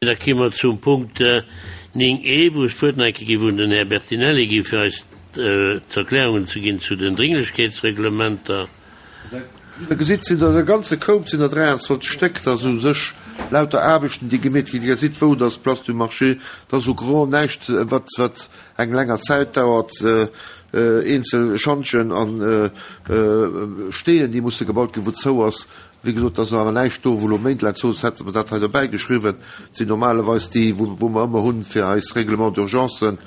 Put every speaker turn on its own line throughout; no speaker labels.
Da komme mer zum Punkt 9 e, wou ech d'Wuert nach eng Kéier géif un den Här Bertinelli ginn, fir eis d'Erklärungen ze ginn zu den Dringlechkeetsreglementer.
Wéi Der gesitt, sinn der e ganze Koup, sinn der 23 Stéck. Dat ass u sech lauter Aarbechten, déi gemeet ginn. Dir gesitt, wou, dat ass d'Place du Marché, dat ass u gros näischt, wat, wat eng länger Zäit dauert. Eenzel Schantjen a Steeën, déi musse gebaut ginn, wou zou ass. Wéi gesot, et ass awer näischt do, wou elo méintelaang zou ass. Hätte mer dat hei dobäi geschriwwen. Et sinn normalerweis déi, wou mer ëmmer hunn fir eis Règlements d'urgencen.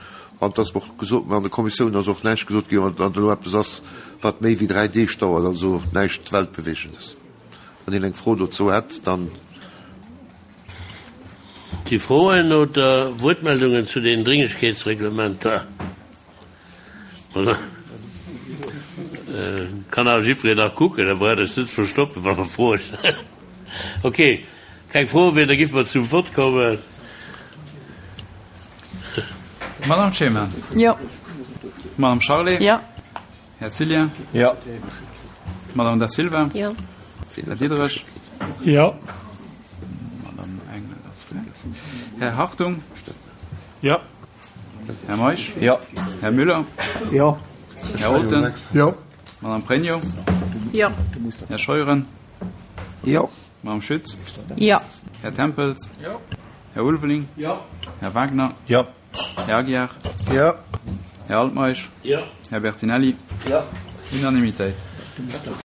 An et ass och gesot, an der Kommissioun ass och näischt gesot ginn, wann elo eppes ass, wat méi wéi 3 Deeg dauert, also näischt Weltbewegendes. Wann een eng Fro dozou hätt, dann.
Si Froen oder Wuertmeldungen zu den Dringlechkeetsreglementer? Kann awer jiddwereen nach kucken, da braucht Iech net ze verstoppen, wa mer Froen stellen. Ok, keng Froen méi, da géife mer zum Vott kommen.
Madame Clement.
Jo.
Madame Charlé.
Jo.
Här Cillien.
Jo.
Madame Da Silva.
Jo.
Här Diderich.
Jo.
Madame Engel ass weg. Här Hartung.
Jo.
Här Meisch.
Jo.
Här Müller.
Jo.
Här Olten.
Jo.
Madame Pregno.
Jo.
Här Scheuren.
Jo.
Madame Schütz.
Jo.
Här Tempels.
Jo.
Här Ulveling.
Jo.
Här Wagner.
Jo.
Här Aguiar.
Jo.
Här Altmeisch.
Jo.
Här Bertinelli.
Jo.
Unanimitéit.